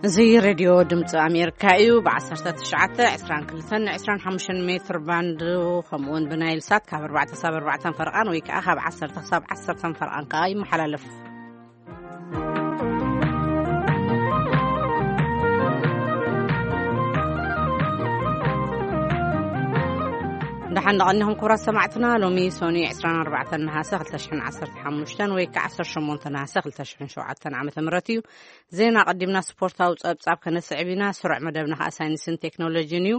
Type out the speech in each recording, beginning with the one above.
እዚ ሬድዮ ድምፂ ኣሜሪካ እዩ። ብ1922 25 ሜትር ባንድ፣ ከምኡውን ብናይል ሳት ካብ ኣርባዕተ ክሳብ ኣርባዕተ ፈረቓን ወይ ከዓ ካብ ዓሰርተ ክሳብ ዓሰርተ ፈረቓን ከዓ ይመሓላለፍ። ደሓን ደቐኒኹም ክቡራት ሰማዕትና። ሎሚ ሶኒ ዕስራን ኣርባዕተን ነሃሰ ክልተ ሽሕን ዓሰርተ ሓሙሽተን ወይ ከዓ ዓሰርተ ሸሞንተ ነሃሰ ክልተ ሽሕን ሸውዓተን ዓመተ ምህረት እዩ። ዜና ኣቐዲምና ስፖርታዊ ጸብጻብ ከነስዕብ ኢና። ስሩዕ መደብና ከኣ ሳይንስን ቴክኖሎጂን እዩ።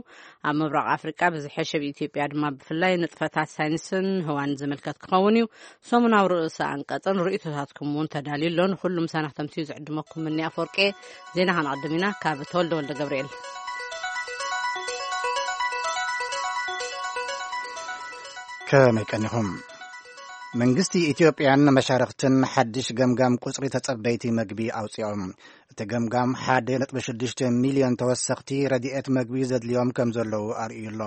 ኣብ ምብራቕ ኣፍሪቃ ብዝሐ፣ ኣብ ኢትዮጵያ ድማ ብፍላይ ንጥፈታት ሳይንስን ህዋን ዝምልከት ክኸውን እዩ። ሰሙናዊ ርእሰ ኣንቀጽን ርእይቶታትኩም እውን ተዳልዩ ኣሎ። ንኹሉ ምሳና ክተምስዩ ዝዕድመኩም ምኒ ኣፈወርቄ። ዜና ከነቐድም ኢና። ካብ ተወልደ ወልደ ገብርኤል። ከመይ ቀኒኹም? መንግስቲ ኢትዮጵያን መሻርኽትን ሓድሽ ገምጋም ቁጽሪ ተጸበይቲ መግቢ ኣውጺኦም። እቲ ገምጋም ሓደ ነጥቢ ሽዱሽተ ሚልዮን ተወሰኽቲ ረድኤት መግቢ ዘድልዮም ከም ዘለዉ ኣርእዩ ኣሎ።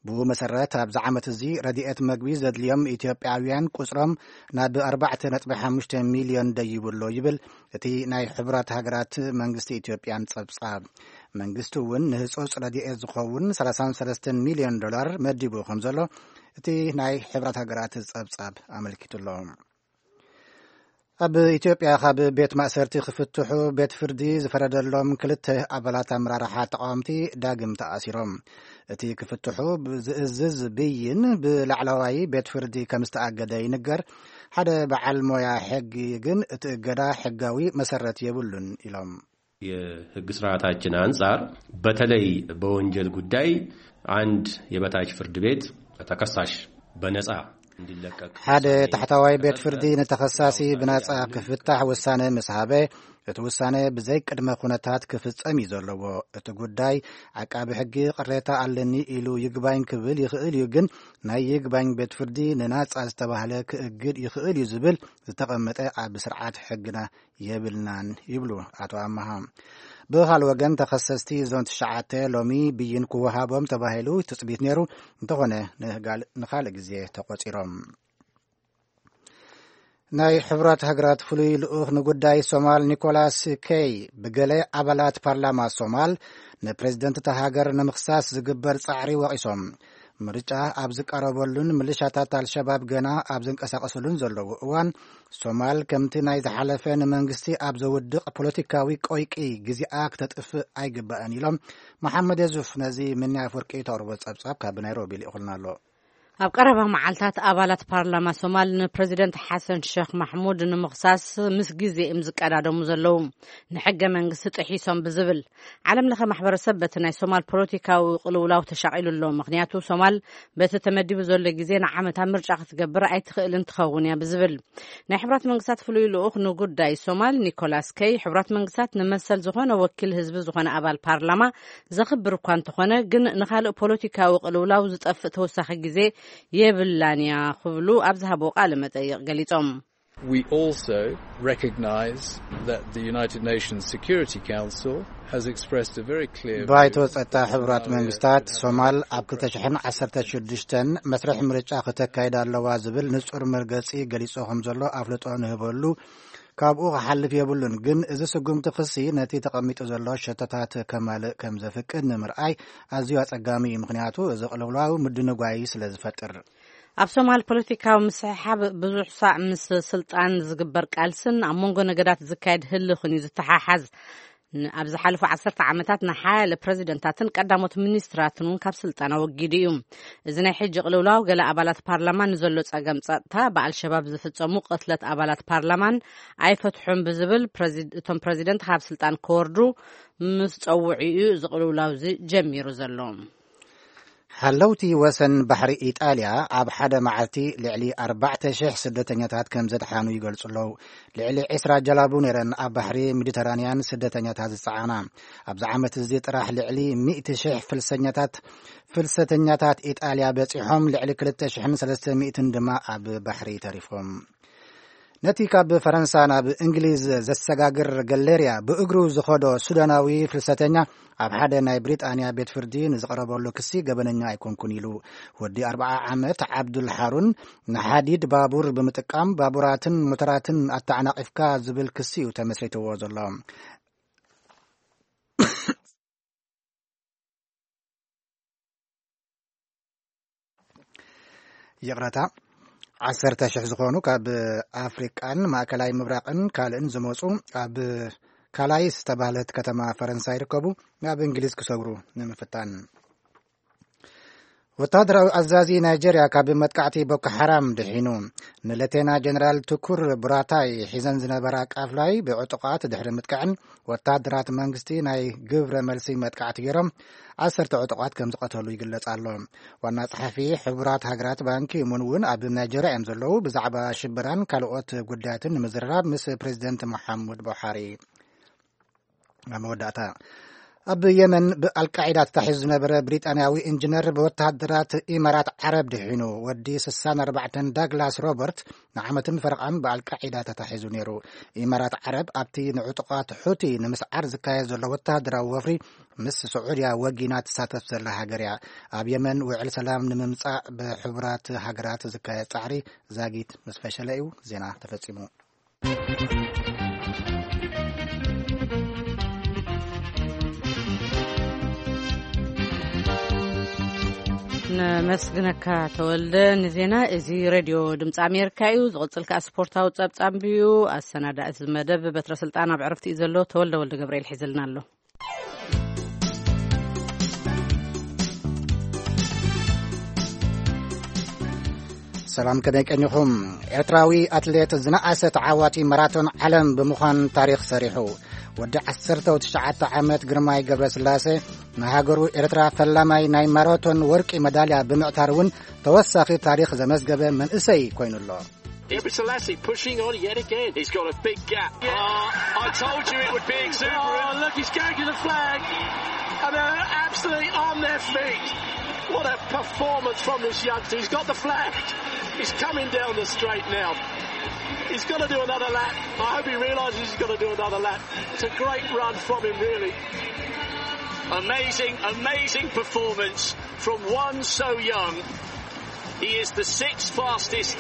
ብኡ መሰረት፣ ኣብዚ ዓመት እዚ ረድኤት መግቢ ዘድልዮም ኢትዮጵያውያን ቁጽሮም ናብ ኣርባዕተ ነጥቢ ሓሙሽተ ሚልዮን ደይቡ ኣሎ ይብል እቲ ናይ ሕቡራት ሃገራት መንግስቲ ኢትዮጵያን ጸብጻብ። መንግስቲ እውን ንህጹጽ ረድኤት ዝኸውን ሰላሳን ሰለስተን ሚልዮን ዶላር መዲቡ ከም ዘሎ እቲ ናይ ሕብራት ሃገራት ጸብጻብ ኣመልኪቱ ኣሎ። ኣብ ኢትዮጵያ ካብ ቤት ማእሰርቲ ክፍትሑ ቤት ፍርዲ ዝፈረደሎም ክልተ ኣባላት ኣመራርሓ ተቃወምቲ ዳግም ተኣሲሮም። እቲ ክፍትሑ ዝእዝዝ ብይን ብላዕለዋይ ቤት ፍርዲ ከም ዝተኣገደ ይንገር። ሓደ በዓል ሞያ ሕጊ ግን እቲ እገዳ ሕጋዊ መሰረት የብሉን ኢሎም። የህግ ስርዓታችን አንጻር በተለይ በወንጀል ጉዳይ አንድ የበታች ፍርድ ቤት ተከሳሽ በነጻ እንዲለቀቅ ሓደ ታሕታዋይ ቤት ፍርዲ ንተኸሳሲ ብናጻ ክፍታሕ ውሳነ ምስ ሃበ፣ እቲ ውሳነ ብዘይ ቅድመ ኩነታት ክፍጸም እዩ ዘለዎ። እቲ ጉዳይ፣ ዓቃቢ ሕጊ ቅሬታ ኣለኒ ኢሉ ይግባኝ ክብል ይኽእል እዩ፣ ግን ናይ ይግባኝ ቤት ፍርዲ ንናጻ ዝተባህለ ክእግድ ይኽእል እዩ ዝብል ዝተቐመጠ ኣብ ስርዓት ሕግና የብልናን ይብሉ ኣቶ ኣመሃ። ብኻል ወገን፣ ተኸሰስቲ እዞን ትሽዓተ ሎሚ ብይን ክወሃቦም ተባሂሉ ትጽቢት ነይሩ፣ እንተኾነ ንጋል-፣ ንኻልእ ግዜ ተቖጺሮም። ናይ ሕብራት ሃገራት ፍሉይ ልኡኽ ንጉዳይ ሶማል ኒኮላስ ኬይ ብገለ ኣባላት ፓርላማ ሶማል ንፕሬዝደንት እታ ሃገር ንምኽሳስ ዝግበር ጻዕሪ ወቒሶም። ምርጫ ኣብ ዝቀረበሉን ምልሻታት ኣልሸባብ ገና ኣብ ዝንቀሳቐስሉን ዘለዉ እዋን፣ ሶማል ከምቲ ናይ ዝሓለፈ ንመንግስቲ ኣብ ዘውድቕ ፖለቲካዊ ቆይቂ ግዜኣ ክተጥፍእ ኣይግባእን ኢሎም። መሓመድ የሱፍ ነዚ ምንያ ኣፍወርቂ ተቕርቦ ጸብጻብ ካብ ናይሮቢ ልኢኹልና ኣሎ። ኣብ ቀረባ መዓልታት ኣባላት ፓርላማ ሶማል ንፕሬዚደንት ሓሰን ሸኽ ማሕሙድ ንምኽሳስ ምስ ግዜ እዮም ዝቀዳደሙ ዘለዉ። ንሕገ መንግስቲ ጥሒሶም ብዝብል፣ ዓለም ለኸ ማሕበረሰብ በቲ ናይ ሶማል ፖለቲካዊ ቅልውላው ተሻቒሉ ኣሎ። ምኽንያቱ፣ ሶማል በቲ ተመዲቡ ዘሎ ግዜ ንዓመታ ምርጫ ክትገብር ኣይትኽእልን ትኸውን እያ ብዝብል፣ ናይ ሕብራት መንግስታት ፍሉይ ልኡኽ ንጉዳይ ሶማል ኒኮላስ ከይ፣ ሕብራት መንግስታት ንመሰል ዝኾነ ወኪል ህዝቢ ዝኾነ ኣባል ፓርላማ ዘኽብር እኳ እንተኾነ፣ ግን ንኻልእ ፖለቲካዊ ቅልውላው ዝጠፍእ ተወሳኺ ግዜ የብላን እያ ክብሉ ኣብ ዝሃብዎ ቃለ መጠይቕ ገሊጾም። We also recognize that the United Nations Security Council has expressed a very clear view ባይቶ ጸጥታ ሕቡራት መንግስታት ሶማል ኣብ ክልተ ሽሕን ዓሰርተ ሽዱሽተን መስርሕ ምርጫ ክተካይድ ኣለዋ ዝብል ንጹር መርገጺ ገሊጹ ከም ዘሎ ኣፍልጦ ንህበሉ። ካብኡ ክሓልፍ የብሉን፣ ግን እዚ ስጉምቲ ክሲ ነቲ ተቐሚጡ ዘሎ ሸቶታት ከማልእ ከም ዘፍቅድ ንምርኣይ ኣዝዩ ኣጸጋሚ እዩ። ምኽንያቱ፣ እዚ ቅልውላው ምድንጓይ ስለ ዝፈጥር። ኣብ ሶማል ፖለቲካዊ ምስሕሓብ ብዙሕ ሳዕ ምስ ስልጣን ዝግበር ቃልስን ኣብ መንጎ ነገዳት ዝካየድ ህልኽን እዩ ዝተሓሓዝ። ን-፣ ኣብ ዝሓለፉ ዓሰርተ ዓመታት ንሓያለ ፕረዚደንታትን ቀዳሞት ሚኒስትራትን እውን ካብ ስልጣን ኣወጊዱ እዩ። እዚ ናይ ሕጂ ቅልውላው፣ ገለ ኣባላት ፓርላማ ንዘሎ ጸገም ጸጥታ፣ ብኣልሸባብ ዝፍጸሙ ቅትለት ኣባላት ፓርላማን ኣይፈትሑን ብዝብል፣ ፕረዚ-፣ እቶም ፕረዚደንት ካብ ስልጣን ክወርዱ ምስ ጸውዑ እዩ እዚ ቅልውላው እዚ ጀሚሩ ዘሎ። ሓለውቲ ወሰን ባሕሪ ኢጣልያ ኣብ ሓደ መዓልቲ ልዕሊ ኣርባዕተ ሽሕ ስደተኛታት ከም ዘድሓኑ ይገልጹ ኣለዉ። ልዕሊ ዕስራ ጀላቡ ነይረን ኣብ ባሕሪ ሜዲተራንያን ስደተኛታት ዝጸዓና። ኣብዚ ዓመት እዚ ጥራሕ ልዕሊ ሚእቲ ሽሕ ፍልሰኛታት፣ ፍልሰተኛታት ኢጣልያ በጺሖም፣ ልዕሊ ክልተ ሽሕን ሰለስተ ሚእትን ድማ ኣብ ባሕሪ ተሪፎም። ነቲ ካብ ፈረንሳ ናብ እንግሊዝ ዘሰጋግር ገሌርያ ብእግሩ ዝኸዶ ሱዳናዊ ፍልሰተኛ ኣብ ሓደ ናይ ብሪጣንያ ቤት ፍርዲ ንዝቐረበሉ ክሲ ገበነኛ ኣይኮንኩን ኢሉ። ወዲ ኣርብዓ ዓመት ዓብዱል ሓሩን ንሓዲድ ባቡር ብምጥቃም ባቡራትን ሞተራትን ኣተዓናቒፍካ ዝብል ክሲ እዩ ተመስሪትዎ ዘሎ። ይቕረታ፣ ዓሰርተ ሽሕ ዝኾኑ ካብ ኣፍሪቃን ማእከላይ ምብራቕን ካልእን ዝመጹ ኣብ ካላይስ ዝተባህለት ከተማ ፈረንሳይ ይርከቡ፣ ናብ እንግሊዝ ክሰግሩ ንምፍታን። ወታደራዊ ኣዛዚ ናይጀርያ ካብ መጥቃዕቲ ቦኮ ሓራም ድሒኑ። ንሌቴና ጀነራል ትኩር ቡራታይ ሒዘን ዝነበራ ቃፍላይ ብዕጡቓት ድሕሪ ምጥቃዕን፣ ወታደራት መንግስቲ ናይ ግብረ መልሲ መጥቃዕቲ ገይሮም ዓሰርተ ዕጡቓት ከም ዝቐተሉ ይግለጽ ኣሎ። ዋና ጸሓፊ ሕቡራት ሃገራት ባንኪ ሙን እውን ኣብ ናይጀርያ እዮም ዘለዉ። ብዛዕባ ሽበራን ካልኦት ጉዳያትን ንምዝርራብ ምስ ፕሬዚደንት መሓሙድ ቡሓሪ። ኣብ መወዳእታ፣ ኣብ የመን ብኣልቃዒዳ ተታሒዙ ዝነበረ ብሪጣንያዊ ኢንጂነር ብወተሃደራት ኢማራት ዓረብ ድሒኑ። ወዲ ስሳን ኣርባዕተን ዳግላስ ሮበርት ንዓመትን ፈረቓን ብኣልቃዒዳ ተታሒዙ ነይሩ። ኢማራት ዓረብ ኣብቲ ንዕጡቓት ሑቲ ንምስዓር ዝካየድ ዘሎ ወተሃደራዊ ወፍሪ ምስ ስዑድያ ወጊና ትሳተፍ ዘላ ሃገር እያ። ኣብ የመን ውዕል ሰላም ንምምጻእ ብሕቡራት ሃገራት ዝካየድ ጻዕሪ ዛጊት ምስ ፈሸለ እዩ። ዜና ተፈጺሙ። ነመስግነካ ተወልደ ንዜና። እዚ ሬድዮ ድምፂ ኣሜሪካ እዩ። ዝቕፅል ከኣ ስፖርታዊ ጸብጻብ እዩ። ኣሰናዳእቲ መደብ በትረ ስልጣን ኣብ ዕረፍቲ እዩ ዘሎ። ተወልደ ወልደ ገብርኤል ሒዝልና ኣሎ። ሰላም፣ ከመይ ቀኒኹም? ኤርትራዊ ኣትሌት ዝነኣሰ ተዓዋቲ ማራቶን ዓለም ብምዃን ታሪኽ ሰሪሑ። ወዲ ዓሰርተ ትሽዓተ ዓመት ግርማይ ገብረስላሴ ንሃገሩ ኤርትራ ፈላማይ ናይ ማራቶን ወርቂ መዳልያ ብምዕታር እውን ተወሳኺ ታሪኽ ዘመዝገበ መንእሰይ ኮይኑ ኣሎ። Gebrselassie pushing on yet again. He's got a big gap. Yeah. Oh, I told you it would be exuberant. Oh, look, he's going to the flag. And they're absolutely on their feet. What a performance from this youngster. He's got the flag. He's coming down the straight now. He's got to do another lap. I hope he realises he's got to do another lap. It's a great run from him, really. Amazing, amazing performance from one so young. He is the sixth fastest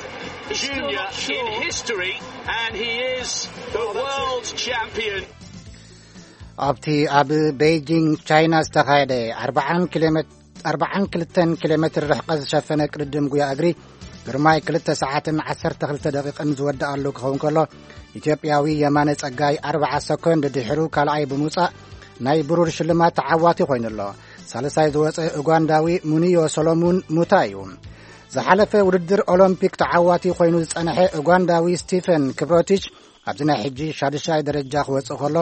junior in history, and he is the world champion. ኣብቲ ኣብ ቤይጂንግ ቻይና ዝተኻየደ ኣርባዓን ክልተን ኪሎ ሜትር ርሕቀት ዝሸፈነ ቅድድም ጉያ እግሪ ግርማይ ክልተ ሰዓትን ዓሰርተ ክልተ ደቂቕን ዝወደኣሉ ክኸውን ከሎ፣ ኢትዮጵያዊ የማነ ጸጋይ ኣርብዓ ሰኮንድ ድሒሩ ካልኣይ ብምውጻእ ናይ ብሩር ሽልማት ተዓዋቲ ኮይኑ ኣሎ። ሳልሳይ ዝወጸ ኡጋንዳዊ ሙኒዮ ሶሎሙን ሙታ እዩ። ዝሓለፈ ውድድር ኦሎምፒክ ተዓዋቲ ኮይኑ ዝጸንሐ ኡጋንዳዊ ስቲፈን ክብሮቲች ኣብዚ ናይ ሕጂ ሻድሻይ ደረጃ ክወጽእ ከሎ፣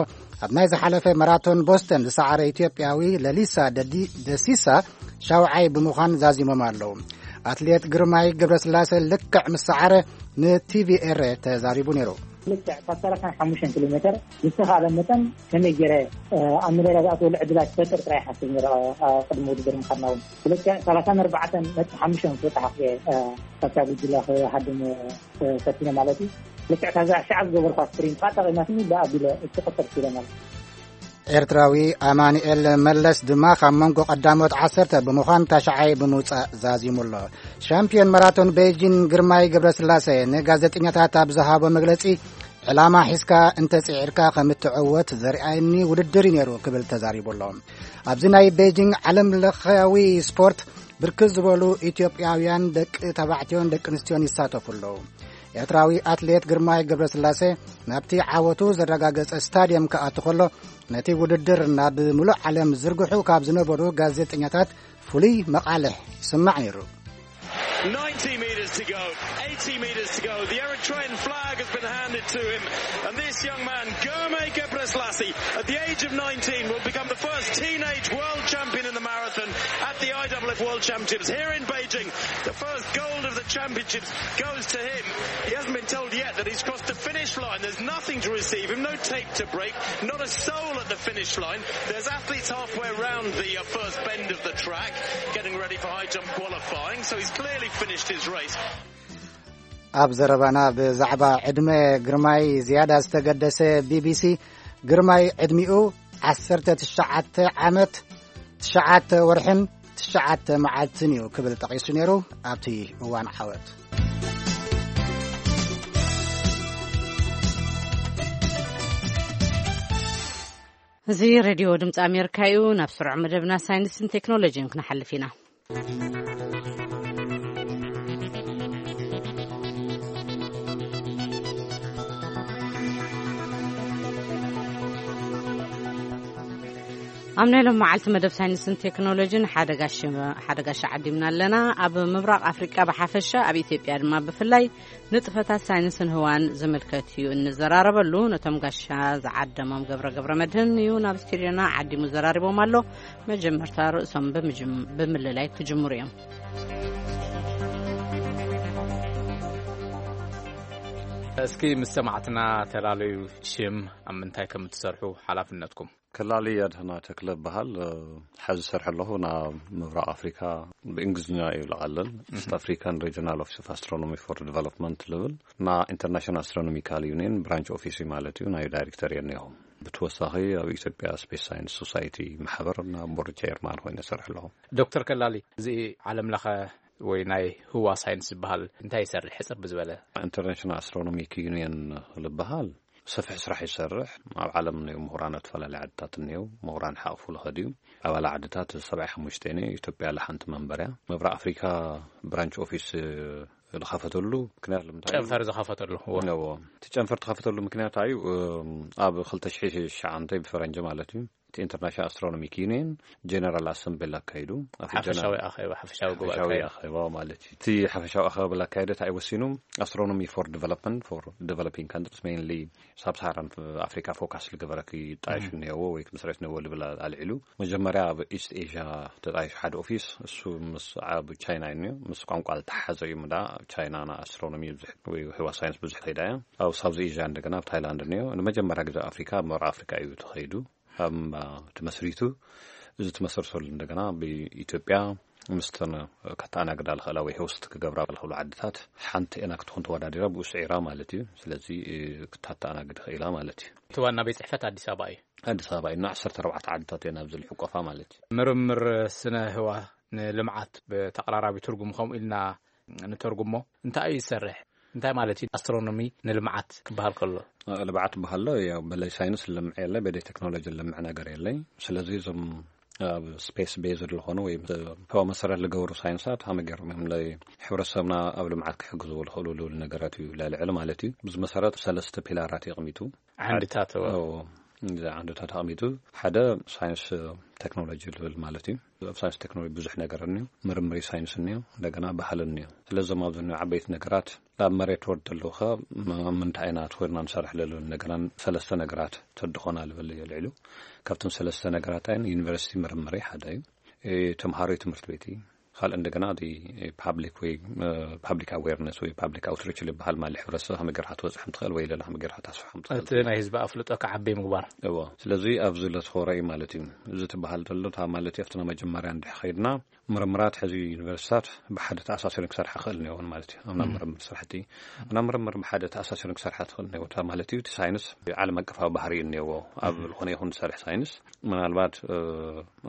ኣብ ናይ ዝሓለፈ ማራቶን ቦስተን ዝሰዓረ ኢትዮጵያዊ ለሊሳ ደዲ-፣ ደሲሳ ሻውዓይ ብምዃን ዛዚሞም ኣለዉ። ኣትሌት ግርማይ ገብረስላሴ ልክዕ ምስ ሰዓረ ንቲቪኤር ተዛሪቡ ነይሩ። ልክዕ ካብ ሰላሳን ሓሙሽተን ኪሎ ሜትር ብዝተኻእለ መጠን ከመይ ገይረ፣ እ፣ ኣብ መዳልያ ዝኣትወሉ ዕድላት ክፈጥር ጥራይ ሓስብ ነይረ፣ እ፣ ቅድሚ ውድድር ምዃንና እውን። ብልክዕ ሰላሳን ኣርባዕተን ነጥቢ ሓሙሽተ ክበጽሕ እየ፣ እ፣ ካብታ ጉጅለ ክሃድም፣ እ፣ ፈቲነ ማለት እዩ። ልክዕ ካብዛ ሻዕ ዝገበርኳ ስፕሪንት ከዓ ጠቒማትኒ ብኣቢለ እቲ ቁጥር ክኢለ ማለት እዩ። ኤርትራዊ ኣማኑኤል መለስ ድማ ካብ መንጎ ቀዳሞት ዓሰርተ ብምዃን ታሽዓይ ብምውጻእ ዛዚሙ ኣሎ። ሻምፒዮን ማራቶን ቤይጂን ግርማይ ገብረስላሴ ንጋዜጠኛታት ኣብ ዝሃቦ መግለጺ፣ ዕላማ ሒዝካ እንተጽዒርካ ከም እትዕወት ዘርኣየኒ ውድድር እዩ ነይሩ ክብል ተዛሪቡ ኣሎ። ኣብዚ ናይ ቤይጂንግ ዓለም ለኻዊ ስፖርት ብርክት ዝበሉ ኢትዮጵያውያን ደቂ ተባዕትዮን ደቂ ኣንስትዮን ይሳተፉ ኣለዉ። ኤርትራዊ ኣትሌት ግርማይ ገብረስላሴ ናብቲ ዓወቱ ዘረጋገጸ ስታድየም ክኣቱ ከሎ፣ ነቲ ውድድር ናብ ምሉእ ዓለም ዝርግሑ ካብ ዝነበሩ ጋዜጠኛታት ፍሉይ መቓልሕ ይስማዕ ነይሩ። Ninety metres to go, eighty metres to go. The Eritrean flag has been handed to him, and this young man, Germe Gebrselassie, at the age of nineteen, will become the first teenage world champion in the marathon at the I W F World Championships here in Beijing. The first gold of the championships goes to him. He hasn't been told yet that he's crossed the finish line. There's nothing to receive him, no tape to break, not a soul at the finish line. There's athletes halfway around the, uh, first bend of the track, getting ready for high jump qualifying, so he's clearly finished his race. ኣብ ዘረባና ብዛዕባ ዕድመ ግርማይ ዝያዳ ዝተገደሰ ቢቢሲ፣ ግርማይ ዕድሚኡ ዓሰርተ ትሽዓተ ዓመት፣ ትሽዓተ ወርሕን ትሽዓተ መዓልትን እዩ ክብል ጠቒሱ ነይሩ ኣብቲ እዋን ዓወት። እዚ ሬድዮ ድምፂ ኣሜሪካ እዩ። ናብ ስሩዕ መደብና ሳይንስን ቴክኖሎጂን ክንሓልፍ ኢና። ኣብ ናይ ሎም መዓልቲ መደብ ሳይንስን ቴክኖሎጂን ሓደ ጋሽ፣ ሓደ ጋሽ ዓዲምና ኣለና። ኣብ ምብራቕ ኣፍሪቃ ብሓፈሻ፣ ኣብ ኢትዮጵያ ድማ ብፍላይ ንጥፈታት ሳይንስን ህዋን ዝምልከት እዩ እንዘራረበሉ። ነቶም ጋሻ ዝዓደሞም ገብረ ገብረ መድህን እዩ ናብ ስቱዲዮና ዓዲሙ ዘራሪቦም ኣሎ። መጀመርታ ርእሶም ብምጅም-፣ ብምልላይ ክጅምሩ እዮም። እስኪ ምስ ሰማዕትና ተላለዩ፣ ሽም፣ ኣብ ምንታይ ከም እትሰርሑ፣ ሓላፍነትኩም። ከላሊ ኣድህና ተክለ እበሃል። እ፣ ሕዚ ዝሰርሕ ኣለኹ ናብ ምብራቕ ኣፍሪካ፣ ብእንግሊዝኛ እዩ ዝለዓለን፣ ኢስት ኣፍሪካን ሪጅናል ኦፊስ ኦፍ ኣስትሮኖሚ ፎር ዲቨሎፕመንት ልብል፣ ና ኢንተርናሽናል ኣስትሮኖሚካል ዩኒየን ብራንች ኦፊስ እዩ ማለት እዩ፣ ናይ ዳይሬክተር እየ እኒሆ። ብተወሳኺ ኣብ ኢትዮጵያ ስፔስ ሳይንስ ሶሳይቲ ማሕበር ና ቦርድ ቸርማን ኮይነ እሰርሕ ኣለኹ። ዶክተር ከላሊ፣ እዚ ዓለም ለኸ ወይ ናይ ህዋ ሳይንስ ዝበሃል እንታይ ይሰርሕ? ሕፅር ብዝበለ። ኢንተርናሽናል ኣስትሮኖሚክ ዩኒየን ዝበሃል ሰፊሕ ስራሕ ይሰርሕ። ኣብ ዓለም እኒኦ ምሁራን ኣብ ዝተፈላለዩ ዓድታት እኒኦ፣ ምሁራን ሓቕፉ ልኸድ እዩ። ኣባል ዓድታት ሰብዓ ሓሙሽተ እኒኦ፣ ኢትዮጵያ ለሓንቲ መንበርያ። ምብራቕ ኣፍሪካ ብራንች ኦፊስ ዝኸፈተሉ ምክንያት ንምንታይ እዩ? ጨንፈር ዝኸፈተሉ፣ እዎ። እዎ። እቲ ጨንፈር ተኸፈተሉ ምክንያት እዩ፣ እም፣ ኣብ ክልተ ሽሕ ትሽዓተ ብፈረንጂ ማለት እዩ፣ እቲ ኢንተርናሽናል ኣስትሮኖሚክ ዩኒየን ጀነራል ኣሰምብል ኣካይዱ። ኣብቲ ሓፈሻዊ ጀነራል ኣኼባ፣ ሓፈሻዊ ጉባኤ ሓፈሻዊ ኣካይዱ። ኣኼባ ማለት እዩ። እቲ ሓፈሻዊ ኣኼባ ኣካይደ እንታይ ወሲኑ? ኣስትሮኖሚ ፎር ዲቨሎፕመንት፣ ፎር ዲቨሎፒንግ ካንትሪስ፣ ሜይንሊ ሳብ ሳሃራን ኣፍሪካ ፎካስ ዝገበረ ክጣየሽ እም። እኒሄዎ ወይ ክምስረት እኒሄዎ ዝብል ኣልዒሉ። መጀመርያ ኣብ ኢስት ኤዥያ ተጣይሹ ሓደ ኦፊስ፣ እሱ ምስ፣ ኣብ ቻይና እዩ እኒኦ፣ ምስ ቋንቋ ዝተሓዘ እዩ። ምዳ ኣብ ቻይና ና ኣስትሮኖሚ ብዙሕ ወይ ህዋ ሳይንስ ብዙሕ ከይዳ እያ። ኣብ ሳውዝ ኤዥያ እንደገና ኣብ ታይላንድ እኒኦ። ንመጀመርያ ግዜ ኣፍሪካ፣ ኣብ ምብራቕ ኣፍሪካ እዩ ተኸይዱ። ኣብ፣ አ፣ ተመስሪቱ። እዚ ተመስርተሉ እንደገና ብኢትዮጵያ ምስተን ከተኣናግዳ ልኽእላ ወይ ሆስት ክገብራ ልኽእሉ ዓድታት ሓንቲ ኤና ክትኾን ተወዳዲራ ብኡ ስዒራ ማለት እዩ። ስለዚ፣ እ፣ ክታተኣናግድ ኽኢላ ማለት እዩ። እቲ ዋና ቤት ጽሕፈት ኣዲስ ኣበባ እዩ። ኣዲስ ኣበባ እዩ። ዓሰርተ ኣርባዕተ ዓድታት እየን ኣብዚ ልሕቆፋ ማለት እዩ። ምርምር ስነ ህዋ ንልምዓት ብተቐራራቢ ትርጉም ከምኡ ኢልና ንተርጉሞ። እንታይ እዩ ዝሰርሕ? እንታይ ማለት እዩ ኣስትሮኖሚ ንልምዓት ክበሃል ከሎ? ልምዓት በሃሎ፣ ያው በለይ ሳይንስ ልምዕ የለ፣ በለይ ቴክኖሎጂ ልምዕ ነገር የለይ። ስለዚ እዞም ኣብ ስፔስ ቤዝድ ዝኾኑ ወይ ህዋ መሰረት ዝገብሩ ሳይንሳት ሃመ ገይሮም እዮም ለ-፣ ሕብረተሰብና ኣብ ልምዓት ክሕግዝዎ ዝኽእሉ ልብል ነገራት እዩ ለልዕል ማለት እዩ። ብዚ መሰረት ሰለስተ ፒላራት የቕሚጡ። ዓንድታት፣ እዎ። እዎ፣ እዚ ዓንድታት ኣቕሚጡ፣ ሓደ ሳይንስ ቴክኖሎጂ ዝብል ማለት እዩ። ኣብ ሳይንስ ቴክኖሎጂ ብዙሕ ነገር እኒኦ፣ ምርምሪ ሳይንስ እኒኦ፣ እንደገና ባህል እኒኦ። ስለዚ እዞም ኣብዚ እኒኦ ዓበይቲ ነገራት ኣብ መሬት ወርድ ኣለዉ ኸ ም-፣ ምንታይ ኢና ትኾይና ንሰርሕ ለሉ ነገራን ሰለስተ ነገራት ተድኾና ልብል እየ ልዕሉ። ካብቶም ሰለስተ ነገራት ኣይን ዩኒቨርሲቲ ምርምሪ ሓደ እዩ። እ፣ ተምሃሮ ትምህርቲ ቤት እዩ። ካልእ እንደገና እቲ ፓብሊክ ወይ፣ እ፣ ፓብሊክ ኣዌርነስ ወይ ፓብሊክ ኣውትሪች ዝበሃል ማለት ሕብረተሰብ ከመይ ጌርካ ትበፅሖም ትኽእል ወይ ለላ ከመይ ጌርካ ታስፍሖም ትኽእል እቲ ናይ ህዝቢ ኣፍልጦ ክዓቢ ምግባር። እዎ። ስለዚ ኣብዚ ለትኾረ እዩ ማለት እዩ። እዚ ትበሃል ዘሎ እታ ማለት እዩ ኣብቲ ናይ መጀመርያ እንድሕ ኸይድና ምርምራት ሕዚ ዩኒቨርሲታት ብሓደ ተኣሳሲረን ክሰርሓ ክኽእል ነይወን ማለት እዩ። ኣብ ናይ ምርምር ስራሕቲ፣ ኣብ ናይ ምርምር ብሓደ ተኣሳሲረን ክሰርሓ ትኽእል ነይወ። እታ ማለት እዩ እቲ ሳይንስ ዓለም ኣቀፋዊ ባህሪ እዩ እኒአዎ። ኣብ ዝኾነ ይኹን ዝሰርሕ ሳይንስ ምናልባት፣ እ፣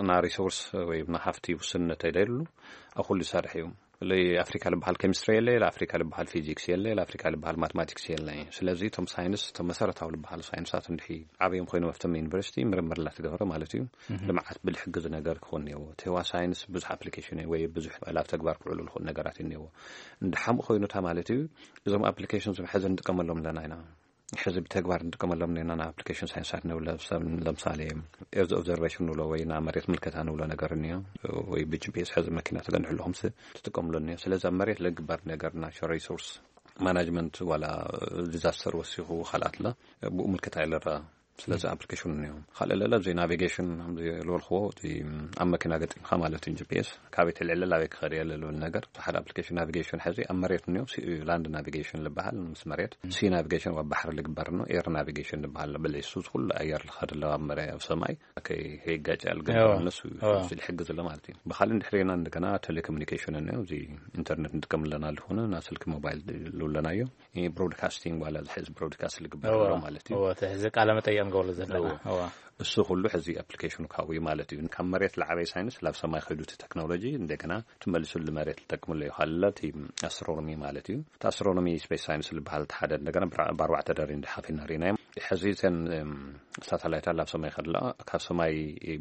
እና ሪሶርስ ወይ እና ሃፍቲ ውስንነት ኣይደሉ ኣብ ኩሉ ይሰርሕ እዩ። ለይ ኣፍሪካ ልበሃል ኬሚስትሪ የለ፣ ለኣፍሪካ ልበሃል ፊዚክስ የለ፣ ለኣፍሪካ ልበሃል ማትማቲክስ የለ። ስለዚ እቶም ሳይንስ፣ እቶም መሰረታዊ ልበሃሉ ሳይንሳት እንድሒ ዓብዮም ኮይኖም ኣብቶም ዩኒቨርሲቲ ምርምር ላትገብረ ማለት እዩ። ልምዓት ብልሕግዝ ነገር ክኾን እኒአዎ። እቲ ህዋ ሳይንስ ብዙሕ ኣፕሊኬሽን እዩ ወይ ብዙሕ ላብ ተግባር ክውዕሉ ዝኽእሉ ነገራት እዩ እኒአዎ። እንድሓምኡ ኮይኑ እታ ማለት እዩ እዞም ኣፕሊኬሽን ዝም ሕዚ ንጥቀመሎም ኣለና ኢና። ሕዚ ብተግባር ንጥቀመሎም ኔና ና ኣፕሊኬሽን ሳይንሳት ንብለ ሰብ ለምሳሌ ኤርዝ ኦብዘርቬሽን ንብሎ ወይ ና መሬት ምልከታ ንብሎ ነገር እኒዮ ወይ ብጂፒኤስ ሕዚ መኪና ተገንሑ ኣለኹም ስ ትጥቀምሉ እኒዮ። ስለዚ ኣብ መሬት ለግበር ነገር ናቹራል ሪሶርስ ማናጅመንት ዋላ ዲዛስተር ወሲኹ ካልኣት ለ ብኡ ምልከታ ይለራ። ስለዚ ኣፕሊኬሽን እኒዮ ካልእ ለለ ኣብዚ ናቪጌሽን ልበልክዎ እቲ ኣብ መኪና ገጢምካ ማለት እዩ ጂፒኤስ ካበይ ተልዕለ ላበይ ክኸድ እየ ልብል ነገር ሓደ ኣፕሊኬሽን ናቪጌሽን ሕዚ ኣብ መሬት እኒኦ ሲ- ላንድ ናቪጌሽን ልበሃል ምስ መሬት ሲ ናቪጌሽን ኣብ ባሕሪ ልግበር ነው ኤር ናቪጌሽን ልበሃል በለ እሱ ኩሉ ኣየር ልኸድ ኣለዎ ኣብ መሬት ኣብ ሰማይ ከይጋጭ ያልገበር እዎ። እነሱ እዎ። እሱ ልሕግዝ ኣሎ ማለት እዩ። ብኻልእ እንድሕሪና እንደገና ቴሌኮሙኒኬሽን እኒኦ እዚ ኢንተርኔት ንጥቀም ኣለና ዝኾነ ና ስልኪ ሞባይል ልብለናዮ ብሮድካስቲንግ ዋላ ዝሕዝ ብሮድካስት ልግበር እዎ። ኣሎ ማለት እዩ። እዎ፣ እቲ ሕዚ ቃለ መጠየቅ ንገብረሉ ዘለና እዎ። እዎ። እሱ ኩሉ ሕዚ ኣፕሊኬሽኑ ካብኡ እዩ ማለት እዩ። ካብ መሬት ለዓበይ ሳይንስ ላብ ሰማይ ከይዱ እቲ ቴክኖሎጂ እንደገና ትመልሱ ልመሬት ልጠቅምሉ እዩ። ካልእ እቲ ኣስትሮኖሚ ማለት እዩ። እቲ ኣስትሮኖሚ ስፔስ ሳይንስ ልበሃል እቲ ሓደ እንደገና ብራ- ብኣርባዕተ ደሪ እንድሓፊና ሪናዮም። ሕዚ እተን እም፣ ሳተላይታት ላብ ሰማይ ከድላ ካብ ሰማይ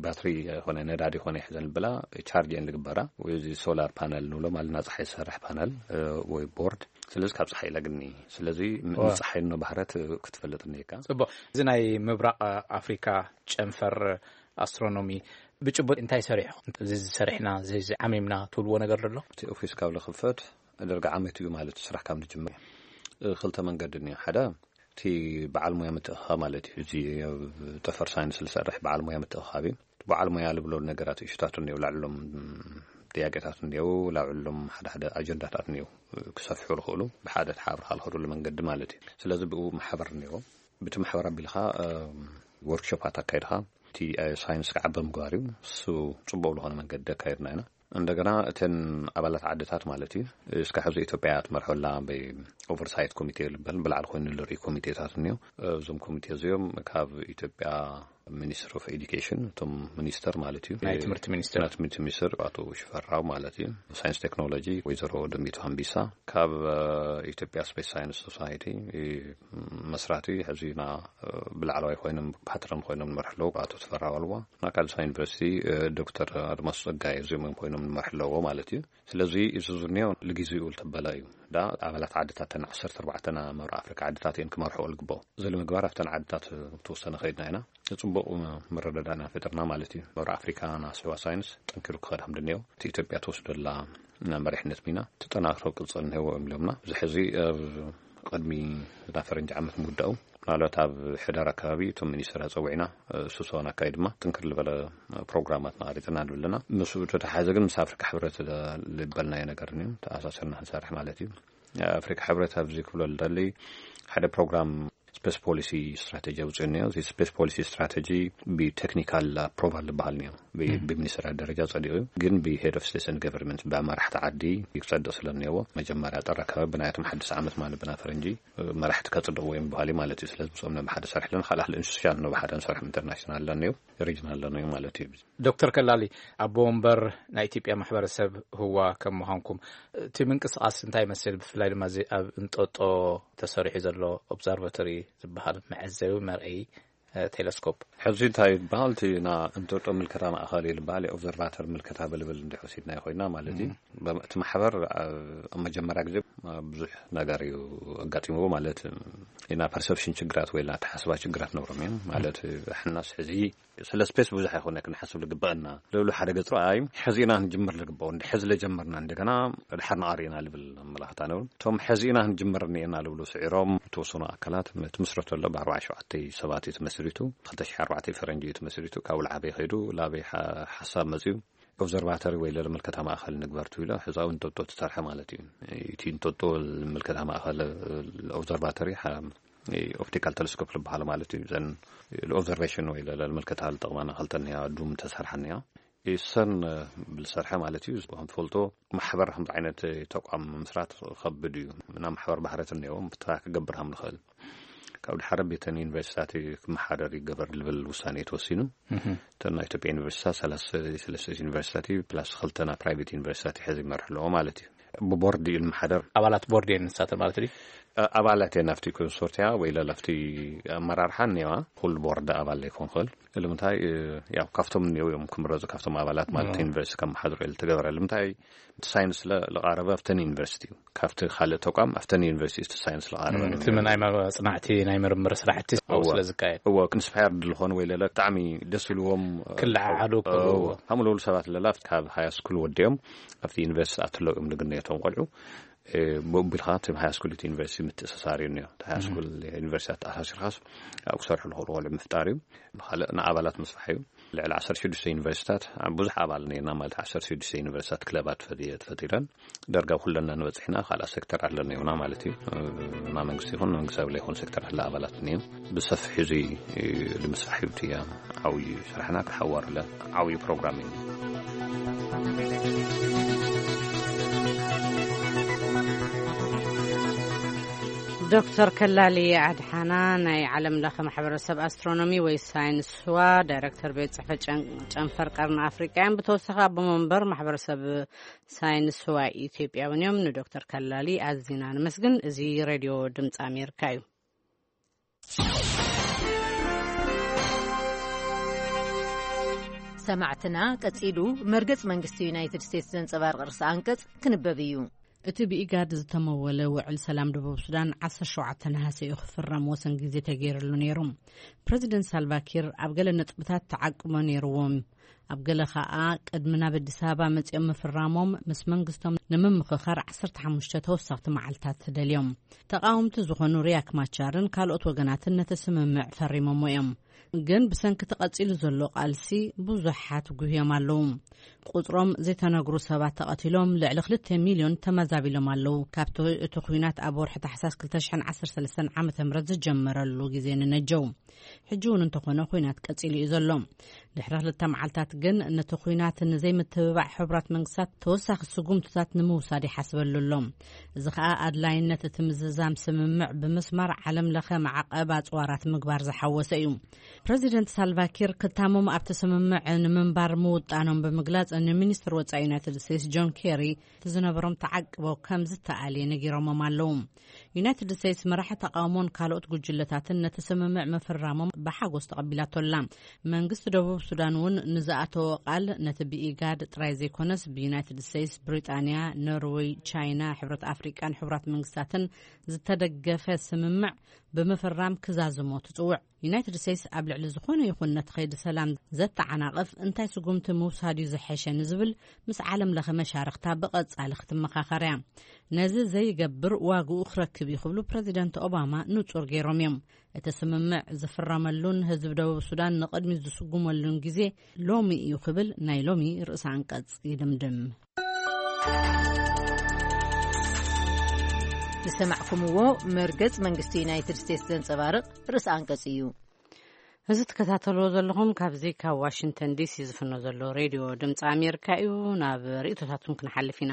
ባትሪ ኾነ ነዳዲ ኾነ ይሕዘን ብላ ቻርጅ እየን ልግበራ ወይ እዚ ሶላር ፓነል ንብሎ ማለት ና ፀሓይ ዝሰርሕ ፓነል እ፣ ወይ ቦርድ ስለዚ ካብ ፀሓይ ለግኒ ስለዚ ም- ዋ። ንፀሓይ ኖ ባህረት ክትፈልጥ እኒካ። ፅቡቅ። እዚ ናይ ምብራቕ ኣፍሪካ ጨንፈር ኣስትሮኖሚ ብጭቡጥ እንታይ ሰሪሑ? እዚ ዝሰሪሕና፣ እዚ ዓሚምና ትብልዎ ነገር ኣሎ? እቲ ኦፊስ ካብ ዝኽፈት ደርጋ ዓመት እዩ ማለት ስራሕ ካብ ንጅምር። እ፣ ክልተ መንገዲ እኒኦ። ሓደ እቲ በዓል ሞያ ምትእኻ ማለት እዩ። እዚ ኣብ ጠፈር ሳይንስ ዝሰርሕ በዓል ሞያ ምትእኻብ እዩ። በዓል ሞያ ዝብሎ ነገራት እሽታት እኒኦ፣ ላዕሎም ጥያቄታት እኒኦ፣ ላዕሎም ሓደ ሓደ ኣጀንዳታት እኒኦ ክሰፍሑ ዝኽእሉ ብሓደ ተሓብርካ ዝኸዱሉ መንገዲ ማለት እዩ። ስለዚ ብኡ ማሕበር እኒኦ። ብቲ ማሕበር ኣቢልካ፣ እ፣ ወርክሾፓት ኣካይድካ እቲ፣ እ፣ ሳይንስ ክዓበ ምግባር እዩ። እሱ ጽቡቕ ዝኾነ መንገዲ ኣካይድና ኢና። እንደገና እተን ኣባላት ዓድታት ማለት እዩ፣ እስካብ ሕዚ ኢትዮጵያ ትመርሖላ ብኦቨርሳይት ኮሚቴ ዝበሃል ብላዕሊ ኮይኑ ዝርኢ ኮሚቴታት እኒኦ። እዞም ኮሚቴ እዚኦም ካብ ኢትዮጵያ ሚኒስትሪ ኦፍ ኤዱኬሽን፣ እቶም ሚኒስተር ማለት እዩ፣ ናይ ትምህርቲ ሚኒስተር። ናይ ትምህርቲ ሚኒስተር ኣቶ ሽፈራው ማለት እዩ፣ ሳይንስ ቴክኖሎጂ ወይዘሮ ደሚቱ ሃምቢሳ፣ ካብ፣ እ፣ ኢትዮጵያ ስፔስ ሳይንስ ሶሳይቲ፣ እ፣ መስራቲ ሕዚ ና ብላዕለዋይ ኮይኖም ፓትረን ኮይኖም ንመርሑ ኣለዉ ኣቶ ተፈራ ዋልዋ፣ ና ካልሳ ዩኒቨርሲቲ፣ እ፣ ዶክተር ኣድማሱ ጸጋይ፣ እዚኦም እዮም ኮይኖም ንመርሑ ኣለዎ ማለት እዩ። ስለዚ እዚ ዝኒኦ ንግዜኡ ዝተበለ እዩ። ዳ ኣባላት ዓድታት ተን ዓሰርተ ኣርባዕተ መብራቕ ኣፍሪካ ዓድታት እየን ክመርሕኦ ዝግባኦ። እዚ ንምግባር ኣብተን ዓድታት ተወሰነ ከይድና ኢና። ጽቡቕ መረዳዳእና ፈጥርና ማለት እዩ። መብራቕ ኣፍሪካ ናስዋ ሳይንስ ጠንኪሩ ክኸድ ከም ድንዮ እቲ ኢትዮጵያ ትወስደላ መሪሕነት ሚና ተጠናክሮ ቅጽል እንሄዎ እዮም ኢሎምና። እዚ ሕዚ ኣብ ቅድሚ እዛ ፈረንጂ ዓመት ምውዳኡ፣ ምናልባት ኣብ ሕዳር ኣካባቢ እቶም ሚኒስትር ኣጸዊዕና፣ እ፣ ስብሰባና ኣካይድ ድማ ጥንክር ዝበለ ፕሮግራማት መቐሪጽና ንብልና። ምስኡ ተተሓዘ ግን ምስ ኣፍሪካ ሕብረት ዝበልናዮ ነገር እዩ ተኣሳሰርና ክንሰርሕ ማለት እዩ። ኣፍሪካ ሕብረት ኣብዚ ክብሎ ልደሊ ሓደ ፕሮግራም ስፔስ ፖሊሲ ስትራቴጂ ኣውፅኡ እኒኦ። እዚ ስፔስ ፖሊሲ ስትራቴጂ ብቴክኒካል ኣፕሮቫል ዝበሃል እኒኦ። ብ-፣ ብሚኒስትራት ደረጃ ጸዲቑ እዩ። ግን ብሄድ ኦፍ ስቴትስ ኤንድ ገቨርንመንት፣ ብመራሕቲ ዓዲ ክጸድቕ ስለ እኒኦዎ፣ መጀመርያ ጥር ኣካባቢ ብናያቶም ሓድሽ ዓመት ማለት ብና ፈረንጂ፣ እ፣ መራሕቲ ከጽድቕዎ እዮም በሃሊ ማለት እዩ። ስለዚ ምስኦም ነብሓደ ሰርሕ ኣለና። ካልእ ካልእ ኢንስቲቱሽን ነብሓደ ንሰርሕ፣ ኢንተርናሽናል ኣለኒዮ፣ ሪጅናል ኣለኒዮ ማለት እዩ። ዶክተር ከላሊ፣ ኣቦ ወንበር ናይ ኢትዮጵያ ማሕበረሰብ ህዋ ከም ምዃንኩም፣ እቲ ምንቅስቃስ እንታይ ይመስል? ብፍላይ ድማ እዚ ኣብ እንጦጦ ተሰሪሑ ዘሎ ኦብዘርቫቶሪ ዝበሃል መዐዘቢ መርኣዪ፣ እ፣ ቴሌስኮፕ። ሕዚ እንታይ ይበሃል? እቲ ና እንጦጦ ምልከታ ማእኸል እዩ ዝበሃል፣ ኦብዘርቫተር ምልከታ ብልብል እንድሕር ወሲድናዮ ኮይና ማለት እዩ። በ-፣ እቲ ማሕበር ኣብ፣ ኣብ መጀመርያ ግዜ፣ እ፣ ብዙሕ ነገር እዩ ኣጋጢምዎ ማለት ኢና። ፐርሰፕሽን ችግራት ወይ ኣተሓስባ ችግራት ነብሮም እዮም ማለት፣ ሕናስ ሕዚ ስለ ስፔስ ብዙሕ ኣይኮነ ክንሓስብ ዝግበአና። ልብሉ ሓደ ገጽ ረኣይ ሕዚ ኢና ክንጅምር ዝግበኦ። እንዲ ሕዚ ለጀመርና እንደገና ድሓር ንቐሪ ኢና ልብል ኣመላኽታ ነብሩ። እቶም ሕዚ ኢና ክንጅምር እኒኤና ልብሉ ስዒሮም ዝተወሰኑ ኣካላት ትምስረቱ ኣሎ። ብ ኣርባዓ ሸውዓተ ሰባት እዩ ተመስሪቱ። ክልተ ሽሕ ኣርባዕተ ፈረንጂ እዩ ተመስሪቱ። ካብ ላዓበይ ከይዱ ላበይ ሓ-፣ ሓሳብ መጽዩ ኦብዘርቫተሪ ወይ ለለ ምልከታ ማእኸል ንግበር ትብሎ። ሕዚ ኣብ እንጦጦ ትሰርሐ ማለት እዩ። እቲ እንጦጦ ምልከታ ማእኸል ኦብዘርቫተሪ ሓ-፣ ኦፕቲካል ቴሌስኮፕ ዝበሃል ማለት እዩ። ዘን ኦብዘርቬሽን ወይ ለለ ምልከታ ዝጠቕማና ክልተ እኒያ ዱም ተሰርሐ እኒያ። ኢሰን ብልሰርሐ ማለት እዩ። ከም ትፈልጦ ማሕበር ከምዚ ዓይነት ተቋም ምስራት ከብድ እዩ። እና ማሕበር ባህረት እኒኦ ብታ ክገብር ከም ንኽእል ካብ ድሓረ ቤተን ዩኒቨርሲታት ክመሓደር ይገበር ልብል ውሳኔ ተወሲኑ። እተን ናይ ኢትዮጵያ ዩኒቨርሲታት ሰላሳ ሰለስተ ዩኒቨርሲታት ፕላስ ክልተና ፕራይቬት ዩኒቨርሲታት ሕዚ ይመርሕ ኣለዎ ማለት እዩ። ብቦርድ እዩ ዝመሓደር። ኣባላት ቦርድ እየን ንሳተን ማለት ድዩ? እ፣ ኣባላት እየን ኣብቲ ኮንሶርቲያ ወይ ለለ ኣብቲ ኣመራርሓ እኒዋ። ኩሉ ቦርድ ኣባል ዘይኮን ክእል። ንምንታይ? እ፣ ያው ካብቶም እኒው እዮም ክምረፁ፣ ካብቶም ኣባላት ማለት እ። ዩኒቨርሲቲ ከመሓድሩ እየ ዝተገበረ። ንምንታይ? እቲ ሳይንስ ለ-፣ ለቃረበ ኣብተን ዩኒቨርሲቲ እዩ። ካብቲ ካልእ ተቋም ኣብተን ዩኒቨርሲቲ እቲ ሳይንስ ለቃረበ እ፣ ነው እቲ ናይ መ-፣ መጽናዕቲ ናይ ምርምር ስራሕቲ ኣብኡ እወ። ስለ ዝካየድ። እወ፣ ኢንስፓየርድ ዝኾኑ ወይ ለለ ብጣዕሚ ደስ ኢልዎም፣ እ፣ ክለዓዓሉ እወ። ከለዉ። ከምኡ ለሉ ሰባት ለላ ካብ ሃይ ስኩል ወዲኦም ኣብቲ ዩኒቨርሲቲ ኣትለው እዮም ንግነየቶም ቆልዑ። እ፣ ብኡ ኣቢልካ እቲ ሃይ ስኩል እቲ ዩኒቨርሲቲ ምትእስሳር እዩ እኒኦ። እቲ ሃይ ስኩል ዩኒቨርሲቲ ኣተኣሳሲርካስ ኣብኡ ክሰርሑ ዝኽእሉ ቆልዑ ምፍጣር እዩ። ብኻልእ ንኣባላት ምስፋሕ እዩ። ልዕሊ ዓሰርተ ሽዱሽተ ዩኒቨርሲቲታት፣ ብዙሕ ኣባል ነርና ማለት ዓሰርተ ሽዱሽተ ዩኒቨርሲቲታት ክለባት ፈጢ-፣ ተፈጢረን። ዳርጋ ኩለና ንበጽሕ ኢና፣ ካልኣ ሴክተር ኣለና ይኹና ማለት እዩ። እ፣ ማ መንግስቲ ይኹን መንግስታዊ ዘይኮነ ሴክተር ኣለ ኣባላት እኒኦ። ብሰፊሕ እዚ፣ እ፣ ንምስራሕ እዩ እቲ ዓብዪ ስራሕና ክሓዋርለ ዓብዪ ፕሮግራም እዩ። ዶክተር ከላሊ ኣድሓና ናይ ዓለም ለኸ ማሕበረሰብ ኣስትሮኖሚ ወይ ሳይንስ ህዋ ዳይረክተር ቤት ጽሕፈት ጨን-፣ ጨንፈር ቀርኒ ኣፍሪቃ እዮም። ብተወሳኺ ኣቦ መንበር ማሕበረሰብ ሳይንስ ህዋ ኢትዮጵያ እውን እዮም። ንዶክተር ከላሊ ኣዚና ንመስግን። እዚ ሬድዮ ድምፂ ኣሜሪካ እዩ። ሰማዕትና፣ ቀጺሉ መርገጽ መንግስቲ ዩናይትድ ስቴትስ ዘንጸባርቕ ርእሰ ኣንቀጽ ክንበብ እዩ። እቲ ብኢጋድ ዝተመወለ ውዕል ሰላም ደቡብ ሱዳን ዓሰርተ ሸውዓተ ነሃሰ እዩ ክፍረም ወሰን ግዜ ተገይርሉ ነይሩ። ፕረዚደንት ሳልቫኪር ኣብ ገለ ነጥብታት ተዓቅቦ ነይርዎም። ኣብ ገለ ኸኣ ቅድሚ ናብ ኣዲስ ኣበባ መጺኦም ምፍራሞም ምስ መንግስቶም ንምምኽኻር ዓሰርተ ሓሙሽተ ተወሰኽቲ መዓልታት ደልዮም። ተቓወምቲ ዝኾኑ ሪያክ ማቻርን ካልኦት ወገናትን ነቲ ስምምዕ ፈሪሞሞ እዮም። ግን ብሰንኪ ተቐጺሉ ዘሎ ቃልሲ ብዙሓት ጉህዮም ኣለዉ። ቁጽሮም ዘይተነግሩ ሰባት ተቐቲሎም፣ ልዕሊ ክልተ ሚልዮን ተመዛቢሎም ኣለዉ። ካብቲ እቲ ኲናት ኣብ ወርሒ ታሕሳስ ክልተ ሽሕን ዓሰርተ ሰለስተን ዓመተ ምህረት ዝጀመረሉ ግዜ ንነጀው። ሕጂ እውን እንተኾነ ኲናት ቀጺሉ እዩ ዘሎ። ድሕሪ ክልተ መዓልታት ግን ነቲ ኲናት ንዘይምትብባዕ ሕቡራት መንግስታት ተወሳኺ ስጉምትታት ንምውሳድ ይሓስበሉ ኣሎ። እዚ ኸኣ ኣድላይነት እቲ ምዝዛም ስምምዕ ብምስማር ዓለም ለኸ ማዕቐብ ኣጽዋራት ምግባር ዝሓወሰ እዩ። ፕረዚደንት ሳልቫኪር ክታሞም ኣብቲ ስምምዕ ንምንባር ምውጣኖም ብምግላጽ፣ ንሚኒስትር ወጻኢ ዩናይትድ ስቴትስ ጆን ኬሪ እቲ ዝነበሮም ተዓቅቦ ከም ዝተኣልየ ነጊሮሞም ኣለዉ። ዩናይትድ ስቴትስ መራሒ ተቓውሞን ካልኦት ጉጅለታትን ነቲ ስምምዕ ምፍራሞም ብሓጎስ ተቐቢላቶ ኣላ። መንግስቲ ደቡብ ሱዳን እውን ንዝኣተዎ ቃል፣ ነቲ ብኢጋድ ጥራይ ዘይኮነስ ብዩናይትድ ስቴትስ፣ ብሪጣንያ፣ ኖርወይ፣ ቻይና፣ ሕብረት ኣፍሪቃን ሕቡራት መንግስታትን ዝተደገፈ ስምምዕ ብምፍራም ክዛዝሞ ትጽውዕ። ዩናይትድ ስቴትስ ኣብ ልዕሊ ዝኾነ ይኹን ነቲ ከይዲ ሰላም ዘተዓናቕፍ እንታይ ስጉምቲ ምውሳድ እዩ ዝሐሸ ንዝብል ምስ ዓለም ለኸ መሻርኽታ ብቐጻሊ ክትመኻኸር እያ። ነዚ ዘይገብር ዋግኡ ክረክብ እዩ ክብሉ ፕረዚደንት ኦባማ ንጹር ገይሮም እዮም። እቲ ስምምዕ ዝፍረመሉን ህዝቢ ደቡብ ሱዳን ንቕድሚት ዝስጉመሉን ግዜ ሎሚ እዩ ክብል ናይ ሎሚ ርእሰ ኣንቀጽ ይድምድም። ዝሰማዕኩምዎ መርገጽ መንግስቲ ዩናይትድ ስቴትስ ዘንጸባርቕ ርእሰ ኣንቀጽ እዩ። እዚ ትከታተልዎ ዘለኹም ካብዚ ካብ ዋሽንግተን ዲሲ ዝፍኖ ዘሎ ሬድዮ ድምፂ ኣሜሪካ እዩ። ናብ ርእይቶታትኩም ክንሓልፍ ኢና።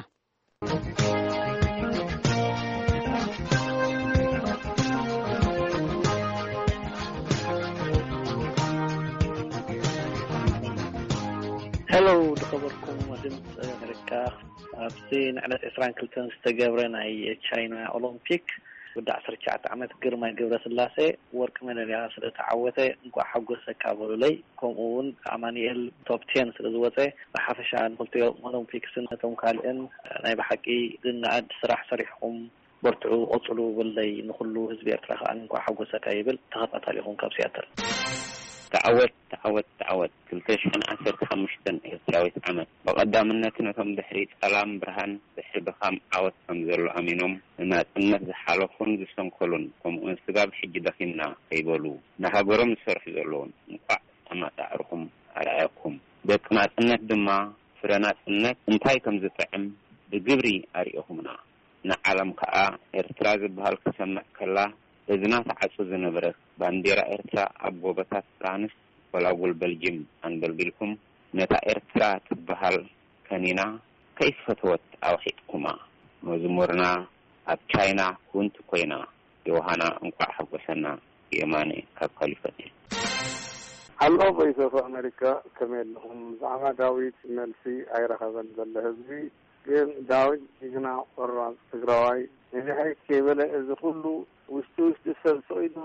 ሄሎ፣ ዝኸበርኩም ድምፂ ኣሜሪካ፣ ኣብዚ ንዕለት ዕስራን ክልተን ዝተገብረ ናይ ቻይና ኦሎምፒክ ወዲ ዓሰርተ ትሽዓተ ዓመት ግርማይ ገብረስላሴ ወርቂ ሜዳልያ ስለ ተዓወተ እንኳዕ ሓጎሰካ በሉለይ። ከምኡ እውን ኣማኑኤል ቶፕ ቴን ስለ ዝወፀ፣ ብሓፈሻ ንክልቲኦም ኦሎምፒክስን ነቶም ካልእን ናይ ብሓቂ ዝነኣድ ስራሕ ሰሪሕኹም፣ በርትዑ፣ ቀፅሉ በሉለይ። ንኩሉ ህዝቢ ኤርትራ ከዓ እንኳዕ ሓጎሰካ ይብል። ተኸታታሊኹም ካብ ሲያትል። ተዓወት፣ ተዓወት፣ ተዓወት። ክልተ ሽሕን ዓሰርተ ሓሙሽተን ኤርትራዊት ዓመት። ብቐዳምነት ነቶም ድሕሪ ጸላም ብርሃን፣ ድሕሪ ድኻም ዓወት ከም ዘሎ ኣሚኖም፣ ንናጽነት ዝሓለፉን ዝሰንከሉን፣ ከምኡውን ስጋብ ሕጂ ደኺምና ከይበሉ፣ ንሃገሮም ዝሰርሑ ዘለዉን፣ እንቋዕ ኣማጻዕርኹም ኣርኣየኩም። ደቂ ናጽነት ድማ፣ ፍረ ናጽነት እንታይ ከም ዝጥዕም ብግብሪ ኣርኢኹምና። ንዓለም ከኣ ኤርትራ ዝበሃል ክሰምዕ ከላ፣ እዝና ተዓጹ ዝነበረት ባንዴራ ኤርትራ ኣብ ጎቦታት ፍራንስ፣ ጎላጉል በልጅም ኣንበልቢልኩም፣ ነታ ኤርትራ ትበሃል ከኒና ከይፈተወት ኣውሒጥኩማ። መዝሙርና ኣብ ቻይና ክውንቲ ኮይና፣ ዮሃና እንቋዕ ሓጎሰና። የማነ ካብ ካሊፎርኒያ። ሃሎ ቮይስ ኦፍ ኣሜሪካ፣ ከመይ ኣለኹም? ብዛዕባ ዳዊት መልሲ ኣይረኸበን ዘሎ ህዝቢ፣ ግን ዳዊት ጅግና ቆራፅ ትግራዋይ፣ ንድሕሪት ከይበለ እዚ ኩሉ ውሽጢ ውሽጢ ሰብ ስቕ ኢሉ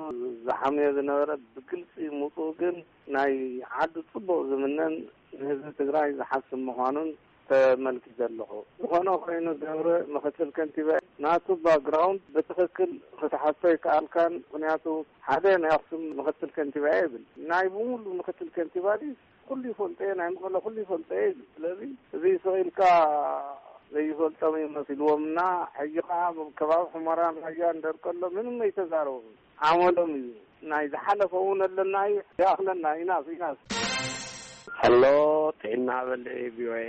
ዝሓምዮ ዝነበረ ብግልፂ ምውፅኡ ግን ናይ ዓዱ ፅቡቕ ዝምነን ንህዝቢ ትግራይ ዝሓስብ ምዃኑን ተመልኪተ ኣለኹ። ዝኾነ ኮይኑ ገብረ ምኽትል ከንቲባ ናቱ ባክግራውንድ ብትኽክል ክትሓቶ ይከኣልካን፣ ምኽንያቱ ሓደ ናይ ኣኽሱም ምኽትል ከንቲባ እየ ይብል። ናይ ብምሉ ምኽትል ከንቲባ ድዩ? ኩሉ ይፈልጦ እየ፣ ናይ መቐለ ኩሉ ይፈልጦ እየ ይብል። ስለዚ እዚ ስቕ ኢልካ ዘይፈልጦም እዩ መሲልዎም እና ሕጂ ኸዓ ከባቢ ሑመራን ራያን ደርቀሎ ምንም ኣይተዛረቡን። ዓመሎም እዩ። ናይ ዝሓለፈ እውን ኣለና እዩ፣ ይኣኽለና። ኢናፍ፣ ኢናፍ። ሀሎ፣ ጥዕና በል ቪኦኤ።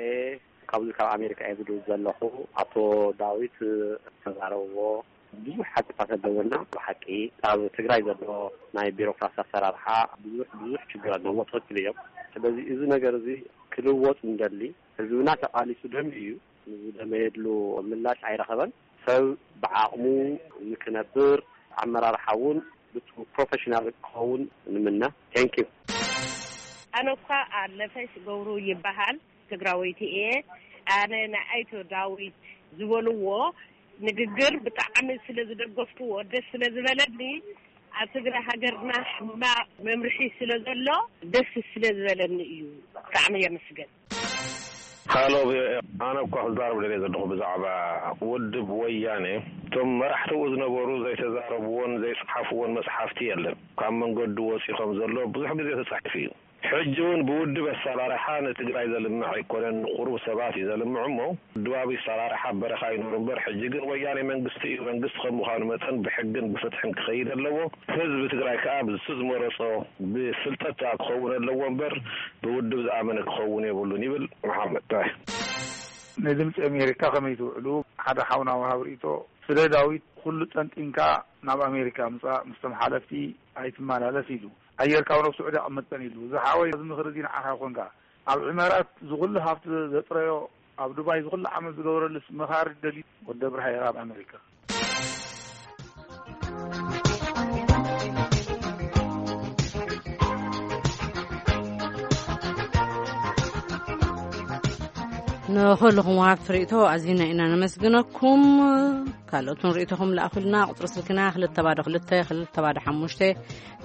ካብዚ ካብ ኣሜሪካ እየ ዝድውል ዘለኹ። ኣቶ ዳዊት ዝተዛረብዎ ብዙሕ ሓቅታት ኣለዎ እና ብሓቂ ኣብ ትግራይ ዘሎ ናይ ቢሮክራሲ ኣሰራርሓ ብዙሕ፣ ብዙሕ ችግር ኣለዎ። ትኽክል እዮም። ስለዚ እዚ ነገር እዚ ክልወጥ እንደሊ፣ ህዝብና ተቓሊሱ ደምዩ እዩ። ንዝደመየሉ ምላሽ ኣይረኸበን። ሰብ ብዓቕሙ ንክነብር፣ ኣመራርሓ እውን ብቱ ፕሮፌሽናል ክኸውን ንምነ። ቴንክ ዩ። ኣነ እኳ ኣለፈሽ ገብሩ ይበሃል፣ ትግራወይቲ እየ። ኣነ ንኣይቶ ዳዊት ዝበልዎ ንግግር ብጣዕሚ ስለ ዝደገፍክዎ፣ ደስ ስለ ዝበለኒ፣ ኣብ ትግራይ ሃገርና ሕማቕ መምርሒ ስለ ዘሎ ደስ ስለ ዝበለኒ እዩ። ብጣዕሚ የመስገን። ሃሎ፣ ኣነ እኳ ክዛረብ ደልየ ዘለኹ ብዛዕባ ውድብ ወያነ፣ እቶም መራሕትኡ ዝነበሩ ዘይተዛረብዎን ዘይጸሓፍዎን መጽሓፍቲ የለን። ካብ መንገዱ ወጺኦም ዘሎ ብዙሕ ግዜ ተጻሒፉ እዩ። ሕጂ እውን ብውድብ ኣሰራርሓ ንትግራይ ዘልምዕ ኣይኮነን፣ ንቁሩብ ሰባት እዩ ዘልምዕ እሞ፣ ውድባዊ ኣሰራርሓ በረኻ ይኑር እምበር፣ ሕጂ ግን ወያኔ መንግስቲ እዩ። መንግስቲ ከም ምዃኑ መጠን ብሕግን ብፍትሕን ክኸይድ ኣለዎ። ህዝቢ ትግራይ ከኣ ብሱ ዝመረጾ ብፍልጠት ከኣ ክኸውን ኣለዎ እምበር፣ ብውድብ ዝኣመነ ክኸውን የብሉን ይብል መሓመድ። ናይ ድምፂ ኣሜሪካ ከመይ ትውዕሉ? ሓደ ሓውና ወሃብ ርእቶ፣ ስለ ዳዊት ኩሉ ጠንጢንካ ናብ ኣሜሪካ ምፃእ፣ ምስቶም ሓለፍቲ ኣይትመላለስ ኢሉ። ኣየር ካብ ናብ ስዑዲ ኣቐመጠን ኢሉ። እዚ ሓወይ፣ እዚ ምኽሪ እዚ ንዓኻ ይኾንካ። ኣብ ዕመራት ዝኹሉ ሃብቲ ዘጥረዮ፣ ኣብ ዱባይ ዝኹሉ ዓመት ዝገበረሉስ መኻሪ ደልዩ ወዲ ኣብርሃ የራ ኣብ ኣሜሪካ። ንኹልኹም ወሃብቲ ርእቶ ኣዚና ኢና ነመስግነኩም። ካልኦትን ርእቶኹም ለኣኹልና። ቁጽሪ ስልክና ክልተ ባዶ ክልተ፣ ክልተ ባዶ ሓሙሽተ፣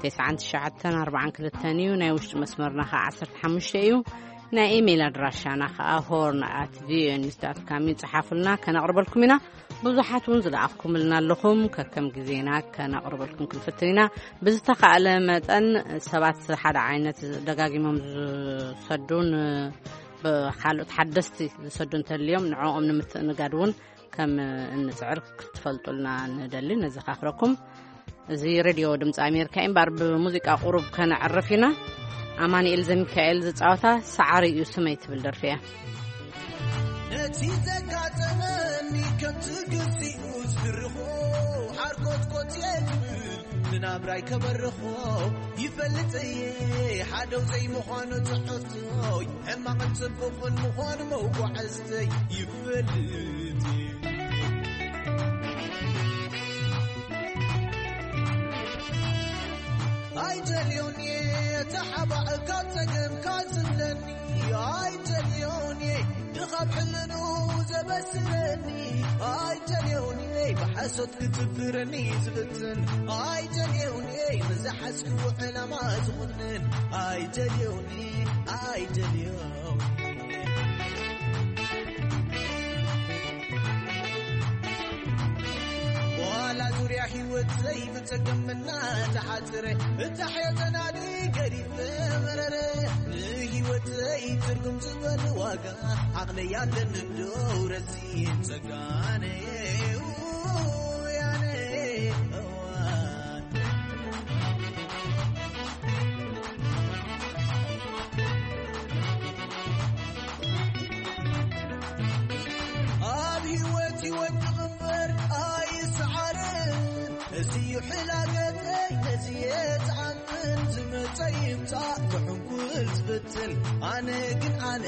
ተስዓን ትሽዓተን ኣርባዓን ክልተን እዩ። ናይ ውሽጢ መስመርና ኸዓ ዓሰርተ ሓሙሽተ እዩ። ናይ ኢሜይል ኣድራሻና ኸዓ ሆርን ኣት ቪኦኤ ኒውስ ዳት ካም እዩ። ጽሓፉልና፣ ከነቕርበልኩም ኢና። ብዙሓት እውን ዝለኣኽኩምልና ኣለኹም። ከከም ግዜና ከነቕርበልኩም ክንፍትን ኢና። ብዝተኻእለ መጠን ሰባት ሓደ ዓይነት ደጋጊሞም ዝሰዱን ብኻልኦት ሓደስቲ ዝሰዱ እንተልዮም ንዕኦም ንምትእንጋድ እውን ከም እንጽዕር ክትፈልጡልና ንደሊ፣ ነዘኻኽረኩም። እዚ ሬድዮ ድምፂ ኣሜሪካ እዩ። እምበር ብሙዚቃ ቁሩብ ከነዕርፍ ኢና። ኣማኑኤል ዘሚካኤል ዝፃወታ ሰዓሪ እዩ ስመይ ትብል ደርፊ እያ። ነቲ ዘጋጠመኒ ከምቲ ግዚኡ ዝድርኾ፣ ሓርኮትኮት እየ ዝብል ንናብራይ ከበርኾ። ይፈልጥ እየ ሓደው ዘይምዃኑ ትሕርቶይ፣ ሕማቕን ጽቡቕን ምዃኑ መጓዕዝተይ ይፈልጥ እየ። ኣይደልዮን እየ ተሓባእ ካብ ጸገምካ ዝብለኒ፣ ኣይደልዮን እየ ድኻብ ሕልኑ ዘበስለኒ፣ ኣይደልዮን እየ ብሓሶት ክትብረኒ ዝፍትን፣ ኣይደልዮን እየ ንዝሓዝክዎ ዕላማ ዝኹንን፣ ኣይደልዮን እየ፣ ኣይደልዮን እየ። ዋላ ዙርያ ህይወተይ ብጸገም እናተሓጽረ፣ እታ ሕዮ ተናዲ ገዲፈ መረረ። ንህይወተይ ትርጉም ዝበል ዋጋ ዓቕለይ ኣለኒ እንዶ ረሲን ጸጋነ ውያነ እዋን። ኣብ ህይወት ይወድቕ እምበር ኣይሰዓርን። እዚ እዩ ሕላገተይ፣ ነዚ እየ ዝኣምን። ዝመጸ ይምጻእ፣ ክሕንኩል ዝፍትን። ኣነ ግን ኣነ፣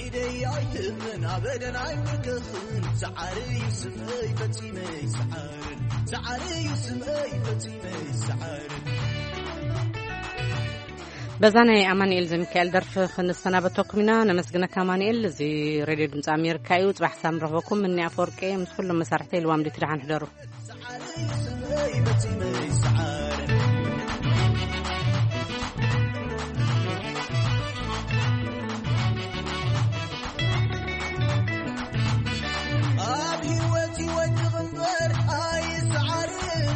ኢደይ ኣይህብን፣ ኣበደን ኣይምርክኽን። ሰዓሪ እዩ ስመይ፣ ፈጺመ ይሰዓርን። ሰዓሪ እዩ ስመይ፣ ፈጺመ ይሰዓርን። በዛ ናይ ኣማኑኤል ዘሚካኤል ደርፊ ክንሰናበተኩም ኢና። ነመስግነካ ኣማኑኤል። እዚ ሬድዮ ድምፂ ኣሜሪካ እዩ። ጽባሕ ሳም ረኽበኩም። እኒ ኣፈወርቂ ምስ ኩሎም መሳርሕተይ ልዋም ዲት ደሓን ሕደሩ። ኣብ ህይወት ይወድቕ እምበር ኣይሰዓርን።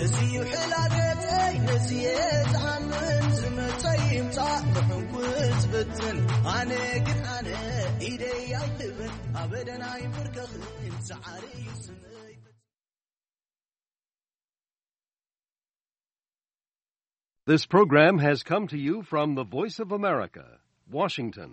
እዚ እዩ ሕላገተይ፣ ነዚ እየ ዝኣምን። ዝመጸ ይምጻእ፣ ብሕንኩል ዝፍትን። ኣነ ግን ኣነ፣ ኢደይ ኣይህብን፣ ኣበደን ኣይምርከኽን። ሰዓሪ እዩ ስመይ። This program has come to you from the Voice of America, Washington.